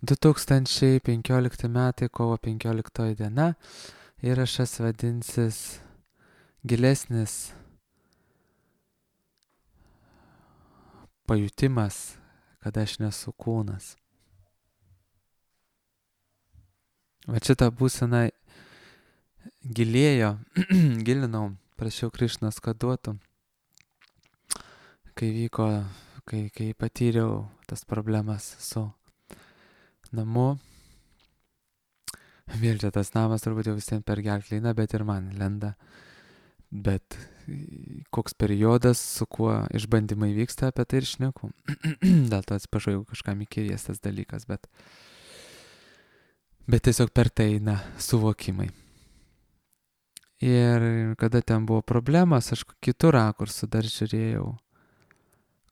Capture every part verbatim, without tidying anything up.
du tūkstančiai penkiolikti metai, kovo penkioliktoji diena. Įrašas vadinsis gilesnis pajutimas, kad aš nesu kūnas. Va šitą būseną gilėjo, gilinau, prašiau Krišnos, kad duotų, kai vyko, kai, kai patyriau tas problemas su namu. Vėl čia tas namas turbūt jau visiems per gerklę eina, bet ir man lenda. Bet koks periodas, su kuo išbandymai vyksta, apie tai ir šneku. Dėl to atsiprašau, jeigu kažkam įkyrės tas dalykas, bet, bet tiesiog per tai eina suvokimai. Ir kada ten buvo problemas, aš kitų rakursų dar žiūrėjau,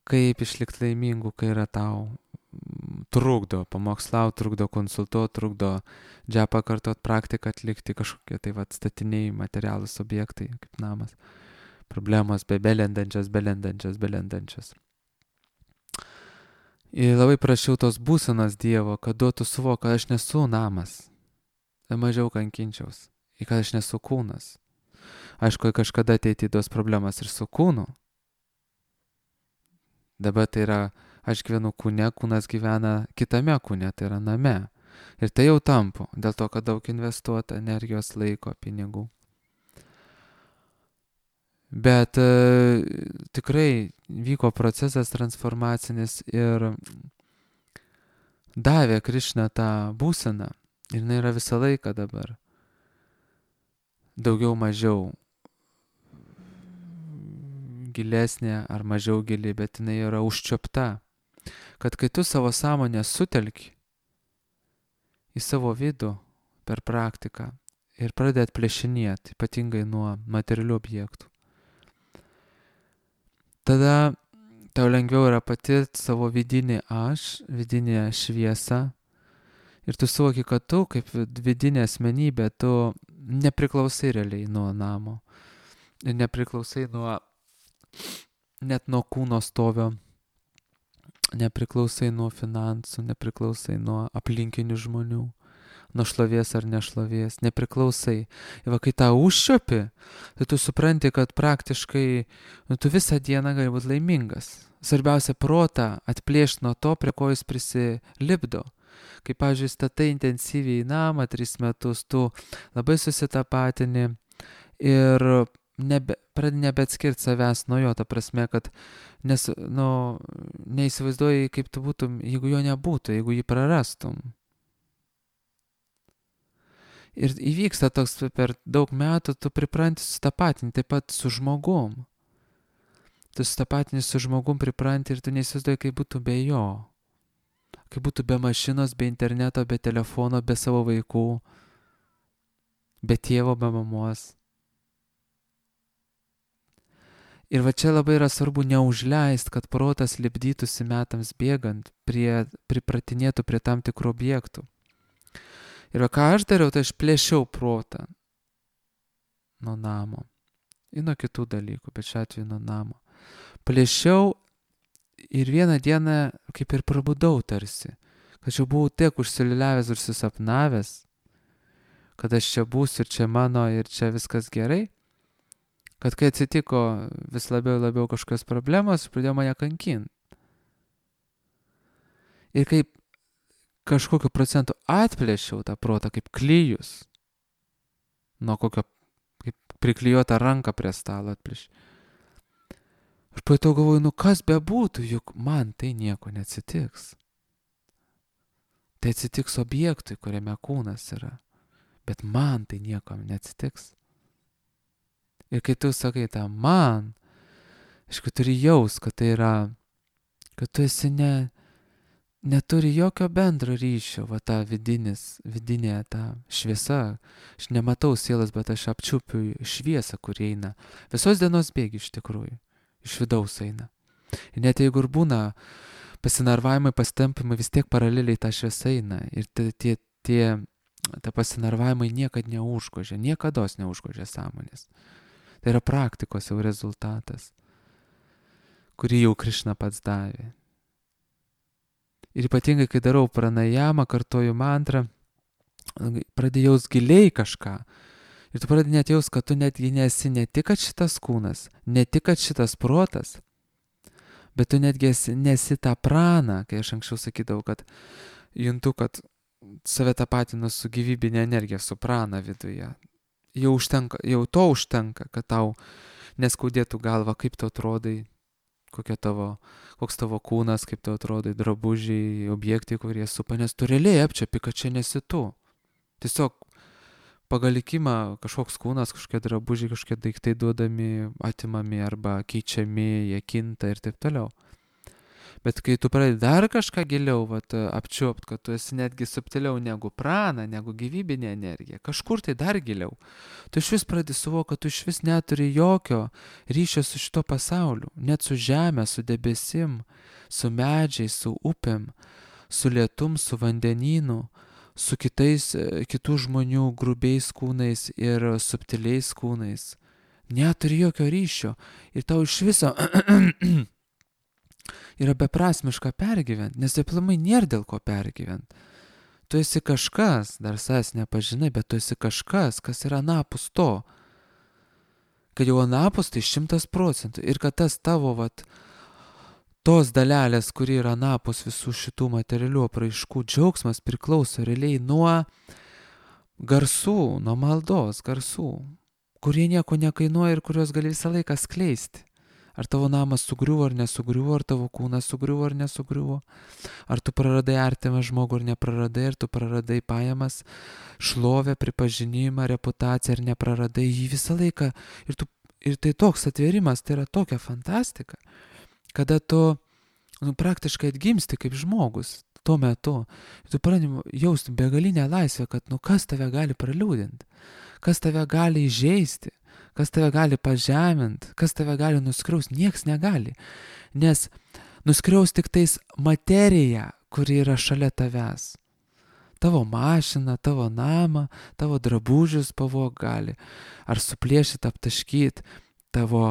kaip išlikti laimingu, kai yra tau trukdo pamokslauti, trukdo konsultuoti, trukdo džepą kartot, praktiką atlikti, kažkokie tai vat statiniai, materialūs objektai, kaip namas. Problemos be belendančias, belendančias, belendančias. Ir labai prašiau tos būsenos Dievo, kad duotų suvok, kad aš nesu namas. Ir mažiau kankinčiaus. Ir kad aš nesu kūnas. Aišku, kažkada ateity tos problemas ir su kūnu. Dabar tai yra, aš gyvenu kūne, kūnas gyvena kitame kūne, tai yra name. Ir tai jau tampu, dėl to, kad daug investuota energijos, laiko, pinigų. Bet e, tikrai vyko procesas transformacinis ir davė Krišna tą būseną. Ir jinai yra visą laiką dabar. Daugiau mažiau gilesnė ar mažiau gili, bet jinai yra užčiopta. Kad kai tu savo sąmonę sutelki į savo vidų per praktiką ir pradedi atplėšinėti, ypatingai nuo materialių objektų, tada tau lengviau yra patirti savo vidinį aš, vidinę šviesą. Ir tu suvoki, kad tu kaip vidinė asmenybė, tu nepriklausai realiai nuo namo. Ir nepriklausai nuo, net nuo kūno stovio. Nepriklausai nuo finansų, nepriklausai nuo aplinkinių žmonių. Nuo šlovės ar nešlovės, nepriklausai. Ir va, kai tą užčiopi, tai tu supranti, kad praktiškai nu, tu visą dieną gali būti laimingas. Svarbiausia protą atplėšti nuo to, prie ko jis prisilipdo. Kai, pavyzdžiui, statai intensyviai namą tris metus, tu labai susitapatini ir nebe, pradedi nebeatskirti savęs nuo jo, ta prasme, kad nes, nu, neįsivaizduoji, kaip tu būtum, jeigu jo nebūtų, jeigu jį prarastum. Ir įvyksta toks per daug metų, tu pripranti susitapatinti taip pat su žmogum. Tu susitapatini su žmogum, pripranti ir tu neįsivaizduoji, kaip būtų be jo. Kaip būtų be mašinos, be interneto, be telefono, be savo vaikų, be tėvo, be mamos. Ir va čia labai yra svarbu neužleist, kad protas lipdytųsi metams bėgant, prie, pripratinėtų prie tam tikrų objektų. Ir va ką aš dariau, tai aš plėšiau protą nuo namo. Ir nuo kitų dalykų, bet šiuo atveju nuo namo. Plėšiau ir vieną dieną kaip ir prabudau tarsi. Kad aš jau buvau tiek užsiliuliavęs ir susapnavęs, kad aš čia būsiu ir čia mano ir čia viskas gerai. Kad kai atsitiko vis labiau ir labiau kažkokios problemos, pradėjo mane kankinti. Ir kaip kažkokiu procentu atplėšiau tą protą kaip klijus. Nuo kokio, kaip priklijuotą ranką prie stalo atplėšiau. Aš pajutau galvoju, nu kas bebūtų, juk man tai nieko neatsitiks. Tai atsitiks objektui, kuriame kūnas yra. Bet man tai nieko neatsitiks. Ir kai tu sakai tą man, aišku, turi jaus, kad tai yra, kad tu esi ne, neturi jokio bendro ryšio, va ta vidinis, vidinė ta šviesa. Aš nematau sielas, bet aš apčiupiu šviesą, kur eina. Visos dienos bėgi iš tikrųjų, iš vidaus eina. Ir net jeigu ir būna pasinarvavimai, pasitampimai, vis tiek paraleliai ta šviesa eina. Ir tie, tie, tie ta pasinarvavimai niekad neužgožia, niekados neužgožia sąmonės. Tai yra praktikos jau rezultatas, kurį jau Krišna pats davė. Ir ypatingai, kai darau pranajamą, kartoju mantrą, pradėjau giliai kažką. Ir tu pradėjai net jaus, kad tu netgi nesi ne tik kad šitas kūnas, ne tik kad šitas protas, bet tu netgi esi, nesi tą praną, kai aš anksčiau sakydavau, kad juntu, kad save tapatinu su gyvybinė energija, su prana viduje. Jau, užtenka, jau to užtenka, kad tau neskaudėtų galva, kaip tu atrodai, kokia tavo, koks tavo kūnas, kaip tu atrodai, drabužiai, objektai, kurie supa, nes tu realiai apčiapi, kad čia nesi tu. Tiesiog pagal likimą kažkoks kūnas, kažkokie drabužiai, kažkokie daiktai duodami, atimami arba keičiami, jie kinta ir taip toliau. Bet kai tu pradedi dar kažką giliau vat, apčiuopt, kad tu esi netgi subtiliau negu prana, negu gyvybinė energija, kažkur tai dar giliau, tu iš vis pradedi suvokti, kad tu iš vis neturi jokio ryšio su šito pasauliu, net su žemė, su debesim, su medžiais, su upėm, su lietum, su vandenynu, su kitais, kitų žmonių grubiais kūnais ir subtiliais kūnais. Neturi jokio ryšio ir tau iš viso yra beprasmiška pergyventi, nes aplamai nėra dėl ko pergyventi. Tu esi kažkas, dar savęs nepažinai, bet tu esi kažkas, kas yra anapus to. Kad jau anapus tai šimtas procentų ir kad tas tavo, vat, tos dalelės, kuri yra anapus visų šitų materialių apraiškų džiaugsmas priklauso realiai nuo garsų, nuo maldos garsų, kurie nieko nekainuoja ir kuriuos gali visą laiką skleisti. Ar tavo namas sugriuvo ar nesugriuvo, ar tavo kūnas sugriuvo ar nesugriuvo, ar tu praradai artimą žmogų ar nepraradai, ar tu praradai pajamas, šlovę, pripažinimą, reputaciją ar nepraradai jį visą laiką. Ir, tu, ir tai toks atvėrimas, tai yra tokia fantastika, kada tu nu, praktiškai atgimsti kaip žmogus tuo metu. Ir tu pradedi jausti begalinę laisvę, kad nu kas tave gali praliūdinti, kas tave gali įžeisti, kas tave gali pažeminti, kas tave gali nuskriausti, nieks negali. Nes nuskriaus tik tais materija, kuri yra šalia tavęs. Tavo mašiną, tavo namą, tavo drabužius pavog gali. Ar suplėšyti, aptaškyti, tavo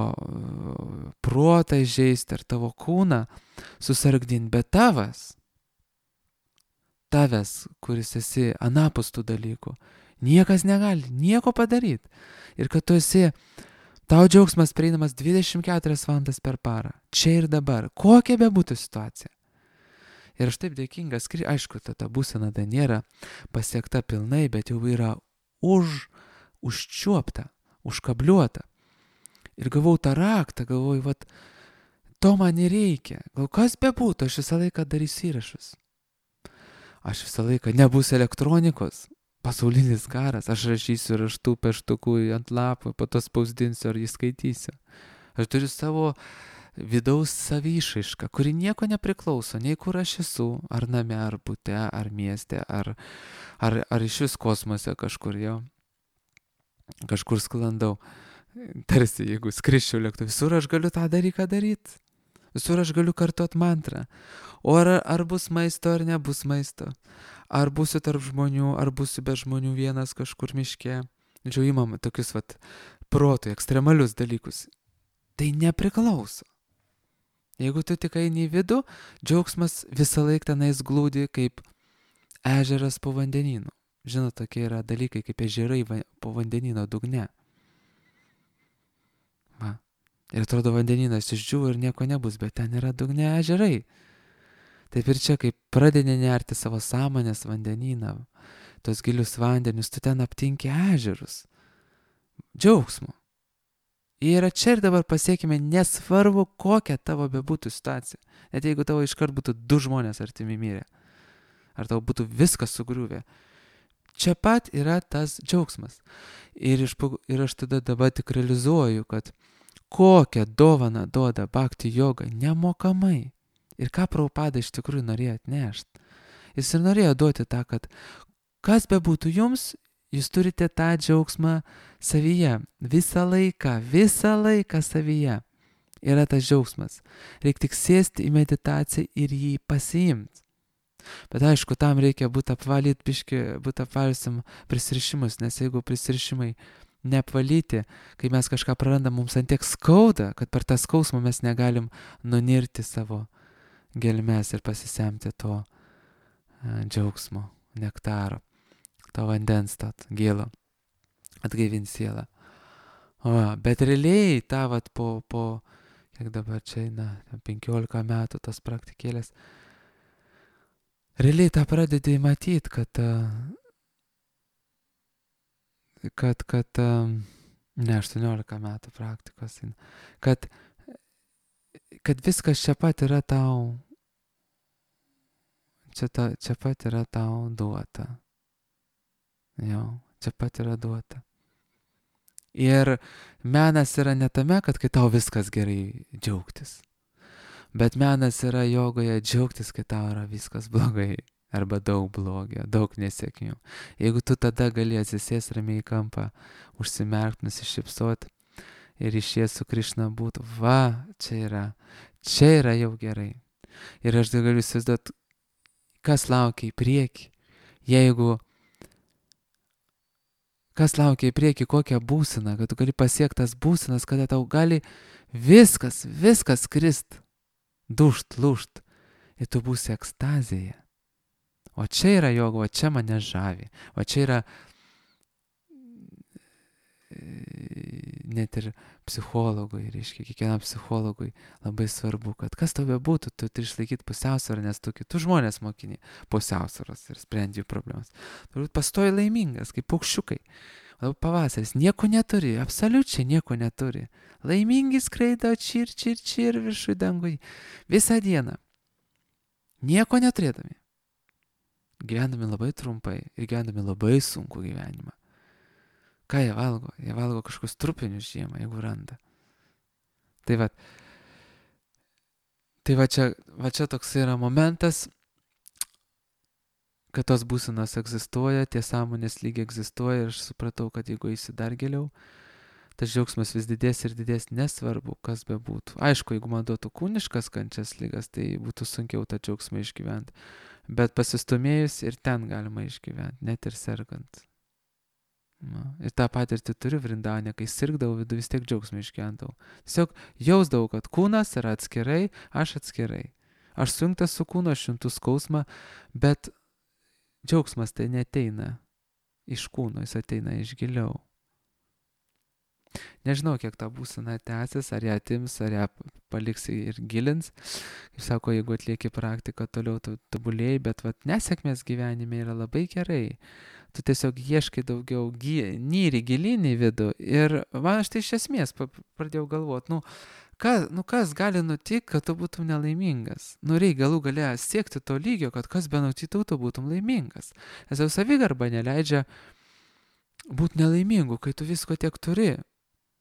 protą įžeisti, ar tavo kūną susargdinti. Bet tavas, tavęs, kuris esi anapus tų dalykų, niekas negali nieko padaryti. Ir kad tu esi, tau džiaugsmas prieinamas dvidešimt keturias valandas per parą. Čia ir dabar. Kokia bebūtų situacija. Ir aš taip dėkingas, aišku, ta, ta būsena dar nėra pasiekta pilnai, bet jau yra už, užčiuopta, užkabliuota. Ir gavau tą raktą, galvoju, vat, to man nereikia. Gal kas bebūtų, aš visą laiką darysiu įrašus. Aš visą laiką nebus elektronikos. Pasaulinis karas, aš rašysiu raštų peštukų ant lapų, po to spausdinsiu ar jį skaitysiu. Aš turiu savo vidaus savišaišką, kuri nieko nepriklauso, nei kur aš esu, ar name, ar bute, ar mieste, ar, ar, ar iš vis kosmose kažkur jau, kažkur sklandau. Tarsi, jeigu skriščiau lėktuvu, visur aš galiu tą dalyką daryti. Visur aš galiu kartuot mantrą. O ar, ar bus maisto, ar nebus maisto. Ar būsiu tarp žmonių, ar būsiu be žmonių vienas kažkur miške. Džiau, įmam tokius vat protui, ekstremalius dalykus. Tai nepriklauso. Jeigu tu tik eini į vidų, džiaugsmas visą laiką tenais glūdi kaip ežeras po vandenynu. Žinot, tokie yra dalykai kaip ežerai po vandenyno dugne. Va. Ir atrodo vandenynas išdžiūvo ir nieko nebus, bet ten yra dugne ežerai. Taip ir čia, kai pradedi nerti savo sąmonės vandenyną, tos gilius vandenius, tu ten aptinki ežerus. Džiaugsmo. Ir čia ir dabar pasiekime, nesvarbu, kokia tavo bebūtų situacija. Net jeigu tavo iškart būtų du žmonės artimi mirę. Ar tau būtų viskas sugriuvę. Čia pat yra tas džiaugsmas. Ir, iš, ir aš tada dabar tik realizuoju, kad kokią dovaną duoda bhakti joga nemokamai. Ir ką Prabhupada iš tikrųjų norėjo atnešti. Jis ir norėjo duoti tą, kad kas bebūtų jums, jūs turite tą džiaugsmą savyje. Visą laiką, visą laiką savyje yra tas džiaugsmas. Reikia tik sėsti į meditaciją ir jį pasiimti. Bet aišku, tam reikia būti apvalyti, biški, būti apvalysim prisirišimus, nes jeigu prisirišimai neapvalyti, kai mes kažką prarandam, mums ant tiek skauda, kad per tą skausmą mes negalim nunirti savo gelmes ir pasisemti to džiaugsmo, nektaro, to vandens, to gėlo, atgaivins sielą. O, bet realiai tą vat po, po, kiek dabar čia eina, penkiolika metų tos praktikėlės, realiai tą pradedi matyti, kad, kad, kad, ne, aštuoniolika metų praktikos, kad, kad viskas čia pat yra tau, čia, ta, čia pat yra tau duota. Jo, čia pat yra duota. Ir menas yra ne tame, kad kai tau viskas gerai džiaugtis. Bet menas yra jogoje džiaugtis, kai tau yra viskas blogai. Arba daug blogio, daug nesėkmių. Jeigu tu tada gali atsisės ramiai į kampą, užsimerkt, nusišypsot ir išėjęs su Krišna būtų, va, čia yra, čia yra jau gerai. Ir aš galiu įsivaizduoti, kas laukia į priekį, jeigu kas laukia į priekį, kokią būseną, kad tu gali pasiekti tas būsenas, kada tau gali viskas, viskas krist, dušt, lūšt, ir tu būsi ekstazėje. O čia yra joga, o čia mane žavi, o čia yra net ir psichologui, reiškia, kiekvienam psichologui labai svarbu, kad kas tau bebūtų, tu turi išlaikyti pusiausvyrą, nes tu kitus žmonės mokini pusiausvyros ir sprendi jų problemas. Tu pastoji laimingas, kaip paukščiukai. O pavasaris nieko neturi, absoliučiai nieko neturi. Laimingi skraido čir, čir, čir viršų dangui visą dieną. Nieko neturėdami. Gyvendami labai trumpai ir gyvendami labai sunku gyvenimą. Ką jie valgo? Jie valgo kažkokius trupinius žiemą, jeigu randa. Tai va, tai va čia, va čia toks yra momentas, kad tos būsenos egzistuoja, tie sąmonės lygiai egzistuoja ir aš supratau, kad jeigu eisi dar giliau, tas džiaugsmas vis didės ir didės, nesvarbu, kas bebūtų. Aišku, jeigu man duotų kūniškas kančias lygas, tai būtų sunkiau tą džiaugsmą išgyventi. Bet pasistumėjus ir ten galima išgyventi, net ir sergant. Na, ir tą patirtį turiu Vrindavane, kai sirgdavau vidų, vis tiek džiaugsmą išgyvendavau. Tiesiog jausdavau, kad kūnas yra atskirai, aš atskirai. Aš sujungtas su kūnu, aš juntu skausmą, bet džiaugsmas tai neteina iš kūno, jis ateina iš giliau. Nežinau, kiek ta būsena tęsis, ar ją atims, ar ją paliks ir gilins. Kaip sako, jeigu atlieki praktiką, toliau tu tobulėjai, bet vat, nesėkmės gyvenime yra labai gerai. Tu tiesiog ieškai daugiau, nyri gilyn į vidų. Ir man aš tai iš esmės pradėjau galvoti, nu, kas, nu, kas gali nutikti, kad tu būtum nelaimingas. Nu, reikia galų galę siekti to lygio, kad kas be nutiktų, tu būtum laimingas. Nes jau savigarba neleidžia būti nelaimingu, kai tu visko tiek turi.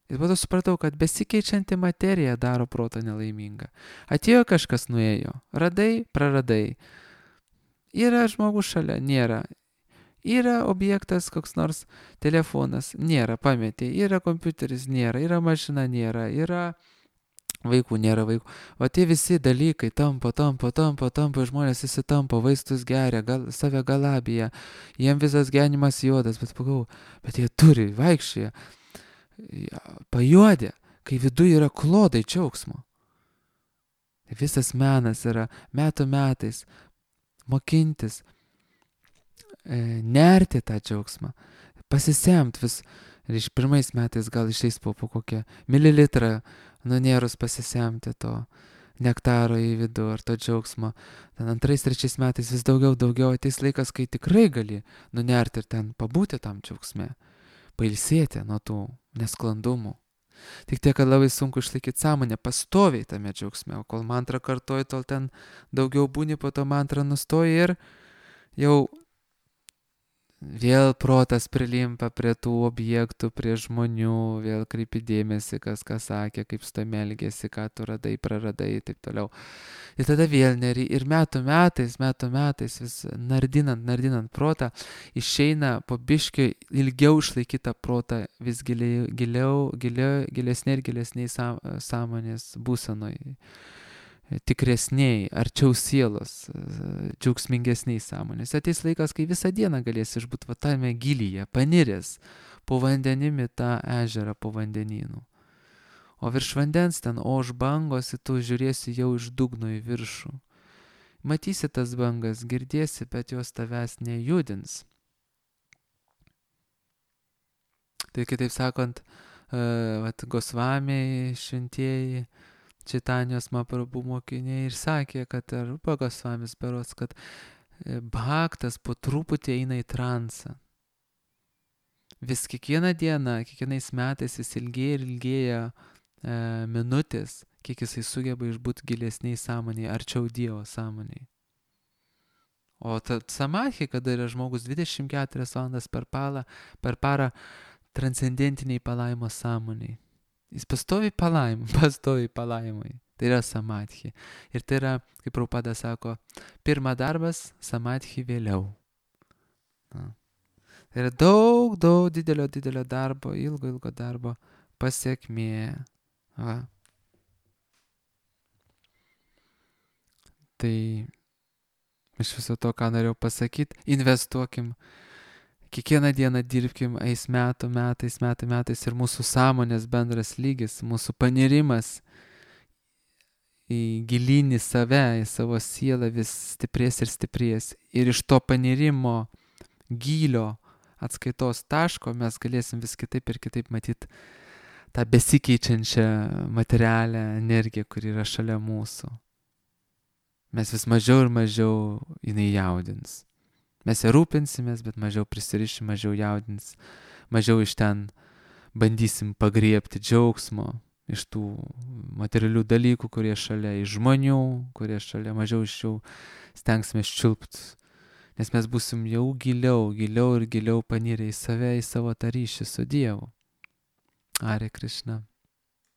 Ir tada supratau, kad besikeičianti materija daro protą nelaimingą. Atėjo kažkas, nuėjo. Radai, praradai. Yra žmogus šalia, nėra. Yra objektas, koks nors telefonas, nėra, pametė. Yra kompiuteris, nėra. Yra mašina, nėra. Yra vaikų, nėra vaikų. O tie visi dalykai tampo, tampo, tampo, tampo, žmonės visi tampo, vaistus geria, gal, save galabija. Jiem visas gyvenimas juodas, bet pagau, bet jie turi, vaikščioja. Pajuodė, kai viduje yra klodai džiaugsmo. Visas menas yra metų metais mokintis, e, nerti tą džiaugsmą, pasisemt vis, ir iš pirmais metais gal išeis po, po kokią mililitrą nunėrus pasisemti to nektaro į vidų ar to džiaugsmo. Ten antrais, trečiais metais vis daugiau, daugiau ateis laikas, kai tikrai gali nunerti ir ten pabūti tam džiaugsme, pailsėti nuo tų nesklandumų. Tik tiek, kad labai sunku išlaikyti sąmonę, pastoviai tame džiaugsme, o kol mantrą kartoji, tol ten daugiau būni, po to mantrą nustoji ir jau vėl protas prilimpa prie tų objektų, prie žmonių, vėl kreipi dėmesį, kas ką sakė, kaip su tam elgėsi, ką tu radai, praradai ir taip toliau. Ir tada vėl neri, ir metų metais, metų metais vis nardinant, nardinant protą, išeina po biškį ilgiau išlaikytą protą vis giliau, giliau, giliau gilesnė ir gilesniai sąmonės būsenoj. Tikresniai, arčiau sielos, džiaugsmingesniai sąmonės. Ateis laikas, kai visą dieną galės išbūti va tame gilyje, paniręs po vandenimi tą ežerą, po vandenynų. O virš vandens ten, o už bangos, tu žiūrėsi jau iš dugno į viršų. matysi tas bangas, girdėsi, bet jos tavęs nejudins. Tai kitaip sakant, uh, vat, Gosvamiai, šventieji, Čaitanijos Mahaprabhu mokiniai ir sakė, kad Rupa Gosvamis berods, kad bhaktas po truputį eina į transą. Vis kiekvieną dieną, kiekvienais metais vis ilgėja ir ilgėja e, minutės, kiek jisai sugeba išbūti gilesniai sąmonėje, arčiau Dievo sąmonėje. O ta samadhi, kada yra žmogus dvidešimt keturias valandas per parą, per parą transcendentiniai palaimo sąmonėje. Jis pastovi palaimai, pastovi palaimai. Tai yra samadhi. Ir tai yra, kaip Prabhupada sako, pirma darbas, samadhi vėliau. Na. Tai yra daug, daug didelio, didelio darbo, ilgo, ilgo darbo pasiekmė. Va. Tai iš viso to, ką norėjau pasakyti, investuokim. Kiekvieną dieną dirbkim, eis metų, metais, metų, metais ir mūsų sąmonės bendras lygis, mūsų panirimas į gilinį save, į savo sielą vis stiprės ir stiprės. Ir iš to panirimo gylio atskaitos taško mes galėsim vis kitaip ir kitaip matyti tą besikeičiančią materialią energiją, kuri yra šalia mūsų. Mes vis mažiau ir mažiau jinai jaudins. Mes ją rūpinsimės, bet mažiau prisirišim, mažiau jaudins, mažiau iš ten bandysim pagriebti džiaugsmo, iš tų materialių dalykų, kurie šalia, iš žmonių, kurie šalia, mažiau iš jų stengsime ščiulpti, nes mes būsim jau giliau, giliau ir giliau panirę į save, į savo tą ryšį su Dievu. Hare Krishna.